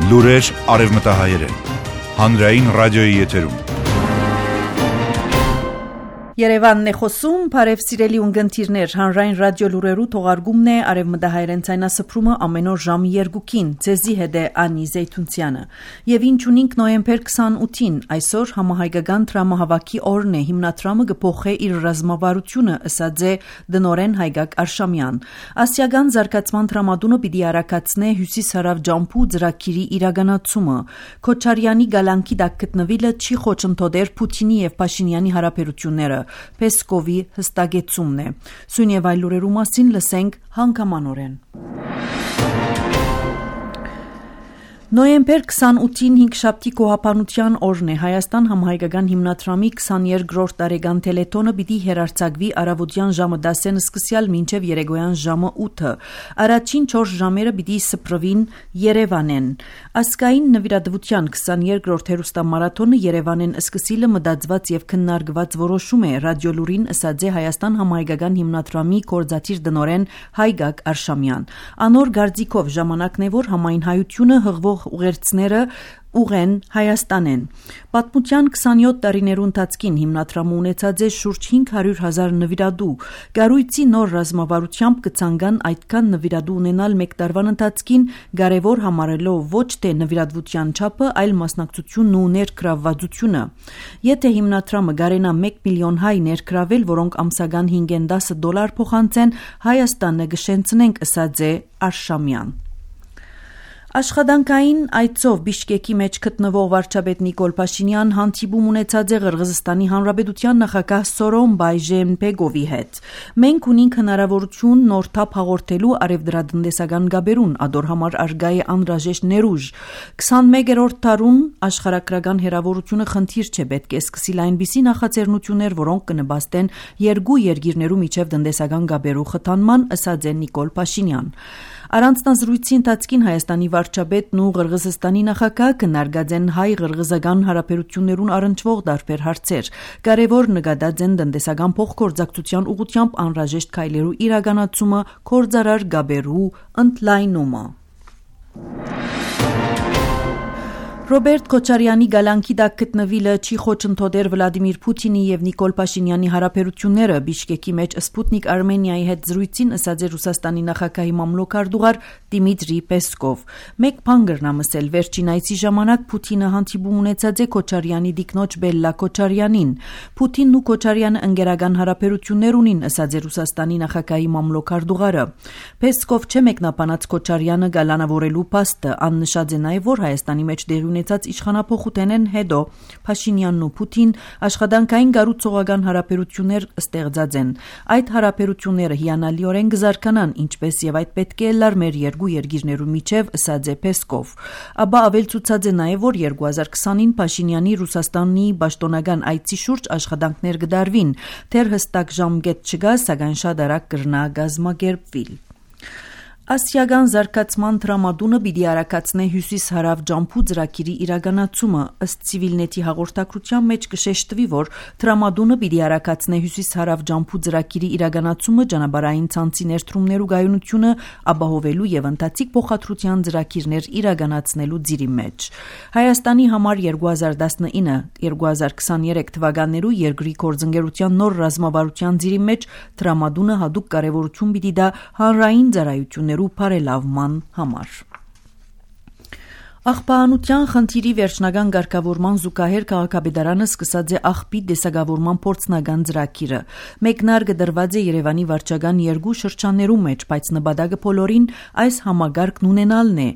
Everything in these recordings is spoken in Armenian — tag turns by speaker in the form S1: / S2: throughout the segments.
S1: Լուրեր արևմտահայերեն, հանրային ռադիոյի եթերում։
S2: Երևանն է խոսում, բարև սիրելի ունգընտիրներ, հանրային ռադիո լուրերու թողարկումն է արևմտահայերեն ցայնասփռումը ամեն օր ժամի 2-ին, ձեզի հետ է Անի Զեյթունցյանը։ Եվ ինչ ունինք նոյեմբեր 28-ին, այսօր համահայկական տրամահավաքի օրն է, հիմնադրամը կփոխի իր ռազմավարությունը, ըսած է դնորեն Հայգակ Արշամյան։ Ասիական զարգացման տրամադունը պիտի արագացնե հյուսիս-հարավ ջամփու ծրագիրի իրականացումը։ Քոչարյանի գալանքի դակ գտնվելը չի խոչընդոտեր Պուտինի եւ Փաշինյանի հարաբերությունները։ Պեսկովի հստակեցումն է։ Սույն եւ այլ լուրերու մասին լսենք հանգամանորեն։ Նոյեմբեր 28-ին 5-շաբթի կոհապանության օրն է, Հայաստան համահայկական հիմնադրամի 22-րդ տարեկան թելեթոնը պիտի հեռարձակվի առավոտյան ժամը 10-ն սկսյալ մինչև երեկոյան ժամը 8-ը։ Առաջին 4 ժամերը պիտի սփռվին Երևանեն։ Ասկային նվիրատվության 22-րդ հերոստամարաթոնը Երևանեն սկսիլը մտածված եւ քննարկված որոշում է, ռադիոլուրին ըսած է Հայաստան համահայկական հիմնադրամի կորզաթիր դնորեն Հայգակ Արշամյան։ Անոր գարձիկով ժամանակն է, որ համայն հայությունը հղվող ուղերձները ուղեն Հայաստանեն։ Պատմության 27 տարիներու ընթացքին հիմնադրամը ունեցած է շուրջ 500,000 նվիրատու։ Գարույցի նոր ռազմավարությամբ կցանգան այդքան նվիրատու ունենալ մեկ տարվան ընթացքին, կարևոր համարելով ոչ թե նվիրատվության չափը, այլ մասնակցությունն ու ներգրավվածությունը։ Եթե հիմնադրամը կարենա 1 միլիոն հայ ներգրավել, որոնք ամսական $5-10 փոխանցեն, Հայաստանը կշենցնենք, ըսած է Արշամյան։ Աշխատանքային այցով Բիշկեկի մեջ գտնվող վարչապետ Նիկոլ Փաշինյան հանդիպում ունեցած է Ղրղըզստանի Հանրապետության նախագահ Սորոմբայ Ժեյնբեգովի հետ։ Մենք ունենք հնարավորություն նոր թափ հաղորդելու արևդրատնտեսական գաբերուն, ադոր համար արգա է անհրաժեշտ ներուժ։ 21-րդ դարուն աշխարհագրական հերավորությունը խնդիր չէ, պետք է սկսել այնպիսի նախաձեռնություններ, որոնք կնպաստեն երկու երկիրներու միջև տնտեսական գաբերու խթանման, ըսած է Նիկոլ Փաշինյան։ Առանձնազրույցի ընթացքին Հայաստանի վարչապետն ու Ղրղըզստանի նախագահ քննարկած են հայ-ղրղըզական հարաբերություններուն առնչվող տարբեր հարցեր։ Կարևոր նկատած են տնտեսական փոխգործակցության ուղղությամբ անհրաժեշտ քայլերու իրականացումը, գործարար գաբերու ընդլայնումը։ Ռոբերտ Քոչարյանի գալանքի դակ գտնվելը չի խոչընդոտեր Վլադիմիր Պուտինի եւ Նիկոլ Փաշինյանի հարաբերությունները։ Բիշկեկի մեջ Սպուտնիկ Արմենիայի հետ զրույցին ըսած է Ռուսաստանի նախագահի մամլոքարդուղար Դիմիտրի Պեսկով։ Մեկ բան գրնամսել վերջին այցի ժամանակ Պուտինը հանդիպում ունեցած է Քոչարյանի դիկնոջ Բելլա Քոչարյանին։ Պուտինն ու Քոչարյանը ընկերական հարաբերություններ ունին, ըսած է Ռուսաստանի նախագահի մամլոքարդուղարը։ Պեսկով չէ մեկնաբանած Քոչարյանը գալանավորելու փաստը, աննշած է նաեւ, որ Հայաստանի մեջ դեղի ունեցած իշխանափոխութենեն հետո Փաշինյանն ու Պուտին աշխատանքային կառուցողական հարաբերություններ ստեղծած են։ Այդ հարաբերությունները հիանալիորեն կզարգանան, ինչպես եւ այդ պետք է լար մեր երկու երկիրներու միջև, ըսած է Պեսկով։ Ապա ավելցուցած է նաեւ, որ 2020-ին Փաշինյանի Ռուսաստանի պաշտոնական այցի շուրջ աշխատանքներ կդարվին, դեռ հստակ ժամկետ չկա, սակայն շատ արագ կրնա կազմակերպվել։ Ասիական զարգացման տրամադունը պիտի արագացնե հյուսիս-հարավ ջամփու ծրագիրի իրականացումը, ըստ Civilnet-ի հաղորդակցության մեջ կշեշտվի, որ տրամադունը պիտի արագացնե հյուսիս-հարավ ջամփու ծրագիրի իրականացումը ճանապարհային ցանցի ներդրումներու գայունությունը ապահովելու եւ ընթացիկ փոխադրության ծրագիրներ իրականացնելու ծիրի մեջ։ Հայաստանի համար 2019-2023 թվականներու երկրի գործընկերության նոր ռազմավարության ծիրի մեջ տրամադունը հատուկ կարևորություն պիտի տա հանրային ծառայություններ բարելավման համար։ Աղբահանության խնդիրի վերջնական ղեկավարման զուգահեռ քաղաքապետարանը սկսած է աղբի դեսագավորման փորձնական ծրագիրը։ Մեկնարկը դրված է Երևանի վարչական երկու շրջաններու մեջ, բայց նպատակը բոլորին այս համագարկն ունենալն է։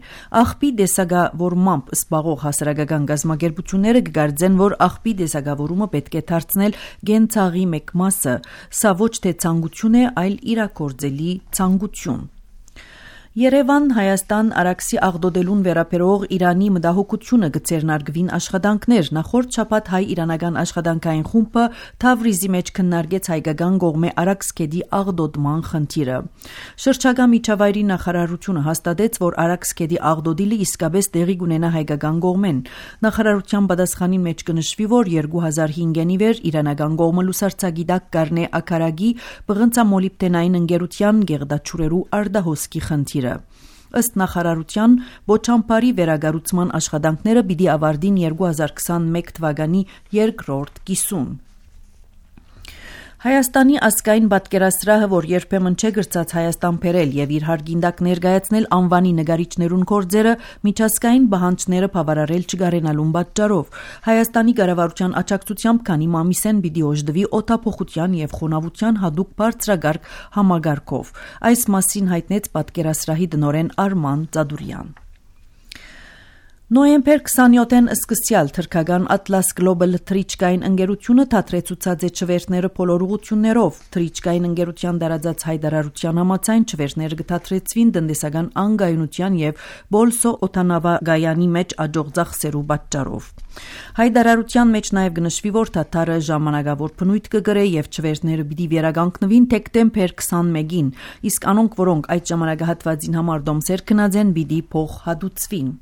S2: Աղբի դեսագավորմամբ զբաղող հասարակական գազམ་ագերբությունները կգարձեն, որ աղբի դեսագավորումը պետք է դարձնել գենցաղի մեկ մասը։ Սա ոչ թե ցանկություն է, այլ իրագործելի ցանկություն։ Երևան Հայաստան Արաքսի աղդոդելուն վերաբերող Իրանի մտահոգությունը գծերնարգվին աշխատանքներ նախորդ շաբաթ հայ-իրանական աշխատանքային խումբը Թավրիզի մեջ քննարկեց հայկական կողմի Արաքսկեդի աղդոդման խնդիրը։ Շրջակա միջավայրի նախարարությունը հաստատեց, որ Արաքսկեդի աղդոդիլը իսկապես տեղի կունենա հայկական կողմեն։ Նախարարության պատասխանի մեջ կնշվի, որ 2005-ին ի վեր իրանական կողմը լուսարձագիտակ կառնե ակարագի բղնցամոլիբդենային ընկերության գեղդաչուրերու արդահոսքի խնդիրը։ Ըստ նախարարության Բոչամփարի վերագառուցման աշխատանքները պիտի ավարտին 2021 թվականի երկրորդ կիսում։ Հայաստանի ազգային պատկերասրահը, որ երբեմն չէ գրծած Հայաստան բերել եւ իր հարգինդակ ներկայացնել անվանի նկարիչներուն կորձերը, միջազգային բանջները բավարարել չգարենալուն պատճառով Հայաստանի կառավարության աջակցությամբ քանի մամիսեն պիտի օժտվի օդափոխության եւ խոնավության հadoop բարձրագարկ համագարկով։ Այս մասին հայտնեց պատկերասրահի տնօրեն Արման Ծադուրյան։ Նոյեմբեր 27-ին սկսյալ թրքական Atlas Global թրիչկային ընկերությունը թատրեցուցած է չվերթները բոլոր ուղություններով։ Թրիչկային ընկերության դարածած հայտարարության համաձայն չվերթները կթատրեցվին տնտեսական անկայունության եւ Բոլսո օդանավակայանի մեջ աջող ծախսերու պատճառով։ Հայտարարության մեջ նաեւ գնշվի, որ թաթարը ժամանակավոր բնույթ կգրե եւ չվերթները պիտի վերականգնվին դեկտեմբեր 21-ին, իսկ անոնք, որոնք այդ ժամանակահատվածին համար դոմսեր քնած են, պիտի փող հատուցվին։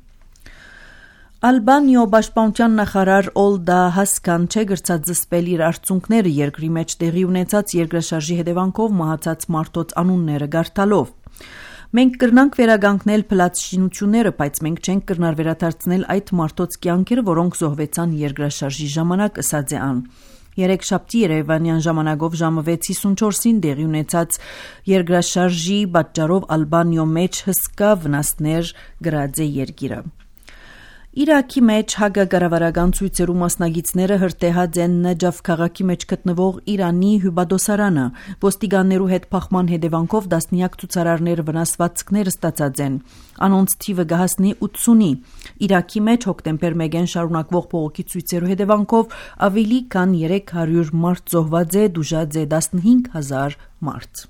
S2: Ալբանիո պաշտպանության նախարար Օլդա Հասկան չէ գրծած զսպել իր արդյունքները երկրի մեջ տեղի ունեցած երկրաշարժի հետևանքով մահացած մարդոց անունները գարտալով։ Մենք կրնանք վերագանքնել փլատշինությունները, բայց մենք չենք կրնար վերադարձնել այդ մարդոց կյանքերը, որոնք զոհվեցան երկրաշարժի ժամանակ, ըսած է ան։ Երեքշաբթի երևանյան ժամանակով ժամը 6:54-ին տեղի ունեցած երկրաշարժի պատճառով Ալբանիո մեջ հսկա վնասներ գրած է երկիրը։ Իրաքի մեջ հակակառավարական ցույցերու մասնագետները հրտեհած են Նաջաֆ քաղաքի մեջ գտնվող Իրանի հյուպատոսարանը։ Ոստիկաններու հետ փախման հետևանքով դասնյակ ցուցարարներ վնասվածքներ ստացած են։ Անոնց թիվը կհասնի 80-ի։ Իրաքի մեջ հոկտեմբեր 1-ին շարունակվող բողոքի ցույցերու հետևանքով ավելի քան 300 մարդ զոհված է, դժուժած է 15000 մարդ։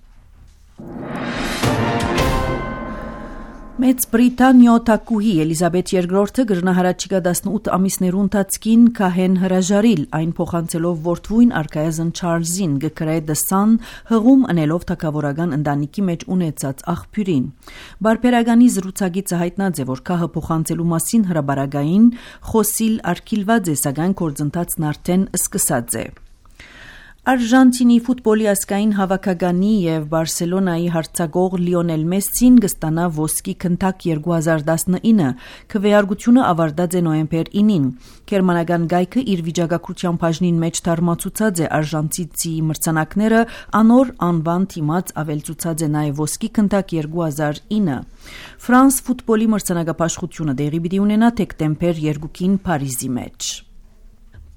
S2: Մեծ Բրիտանիո թագուհի Էլիզաբեթ II գրնահարաճիգա 18 ամիսներու ընթացքին կահեն հրաժարիլ, այն փոխանցելով որդվույն արքայազն Չարլզին գկրե The Sun հղում ընելով թագավորական ընտանիքի մեջ ունեցած աղբյուրին։ Բարբերականի զրուցակիցը հայտնած է, որ կահը փոխանցելու մասին հրաբարակային խոսիլ արգիլված է, սակայն գործընթացն արդեն սկսած է։ Արժանտինի ֆուտբոլի ազգային հավաքականի եւ Բարսելոնայի հարձակող Լիոնել Մեսսին կստանա ոսկի քննակ 2019, քվեարկությունը ավարտած է նոյեմբեր 9-ին։ Գերմանական գայքը իր վիճակագրության բաժնին մեջ թարմացուցած է արժանտինցի մրցանակները, անոր անվան թիմած ավելցուցած է նաեւ ոսկի քննակ 2009։ Ֆրանս ֆուտբոլի մրցանակապաշխությունը դեղի պիտի ունենա դեկտեմբեր 2-ին Փարիզի մեջ։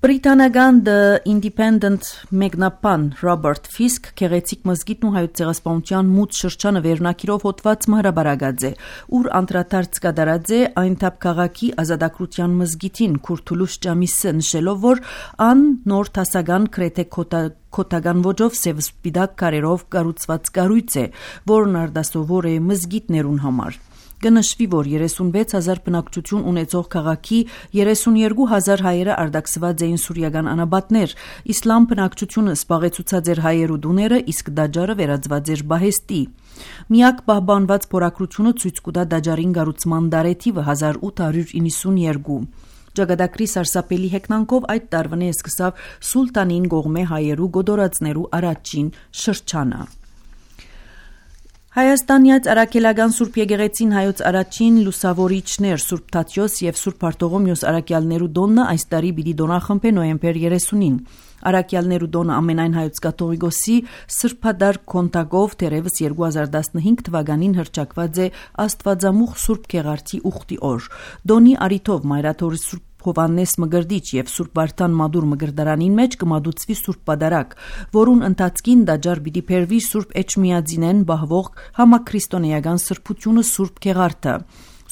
S2: Բրիտանական The Independent մեկնաբան Ռոբերտ Ֆիսկ գեղեցիկ մզգիթն ու հայոց ցեղասպանության մութ շրջանը վերնակիրով հոդված հրաբարակած է, ուր անդրադարձ կատարած է այն թափ քաղաքի ազատագրության մզգիթին Քուրթուլուշ Ջամիսը նշելով, որ ան նոր տասական քրեթե քոտական ոճով սև սպիտակ կարերով կառուցված կառույց է, որն արդասովոր է մզգիթներուն համար։ Կնշվի, որ 36,000 բնակչություն ունեցող քաղաքի 32,000 հայերը արդակսված էին սուրիական անաբատներ, իսլամ բնակչությունը սպաղեցուցած էր հայերու դուները, իսկ դաջարը վերածված էր բահեստի։ Միակ պահպանված փորագրությունը ցույց կտա դաջարին կառուցման դարեթիվը 1892։ Ճակատագրի սարսափելի հեգնանքով այդ տարվանե սկսավ սուլտանին կողմե հայերու գոդորածներու առաջին շրջանը։ Հայաստանյաց արաքելական Սուրբ Եկեղեցին հայոց առաջին լուսավորիչներ Սուրբ Թադեոս եւ Սուրբ Բարտողոմեոս արաքյալներու դոնը այս տարի պիտի դոնախմբե նոյեմբեր 30-ին։ Արաքյալներու դոնը ամենայն հայոց կաթողիկոսի սրբադար կոնտակով դերևս 2015 թվականին հռչակված է Աստվածամուխ Սուրբ Գեղարդի ուխտի օր։ Դոնի արիթով Մայրաթորի Սուրբ Հովաննես Մգրդիչ եւ Սուրբ Վարդան Մադուր Մգրդարանին մեջ կմադուցվի Սուրբ Պատարագ, որուն ընթացքին դաջար պիտի փերվի Սուրբ Էջմիածինեն բահվող համաքրիստոնեական սրբությունը Սուրբ Գեղարդը։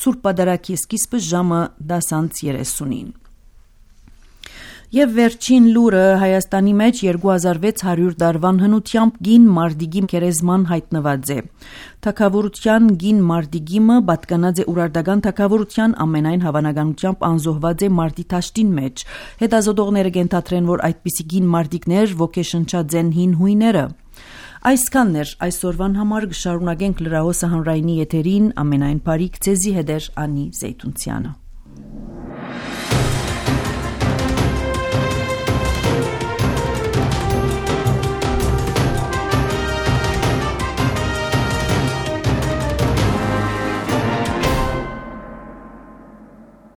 S2: Սուրբ Պատարագի սկիզբը ժամը 10:30-ին։ Եվ վերջին լուրը Հայաստանի մեջ 2600 դարվան հնությամբ գին մարդիգի գերեզման հայտնված է։ Թագավորության գին մարդիգիմը պատկանած է ուրարտական թագավորության ամենայն հավանականությամբ անզոհված է մարդի տաշտին մեջ։ Հետազոտողները կենթադրեն, որ այդպիսի գին մարդիկներ ոգեշնչած են հին հույները։ Այսքանն էր այսօրվան համար կշարունակենք լրահոսը հանրայինի եթերին ամենայն բարիք ձեզի հետ Անի Զեյթունցյանը։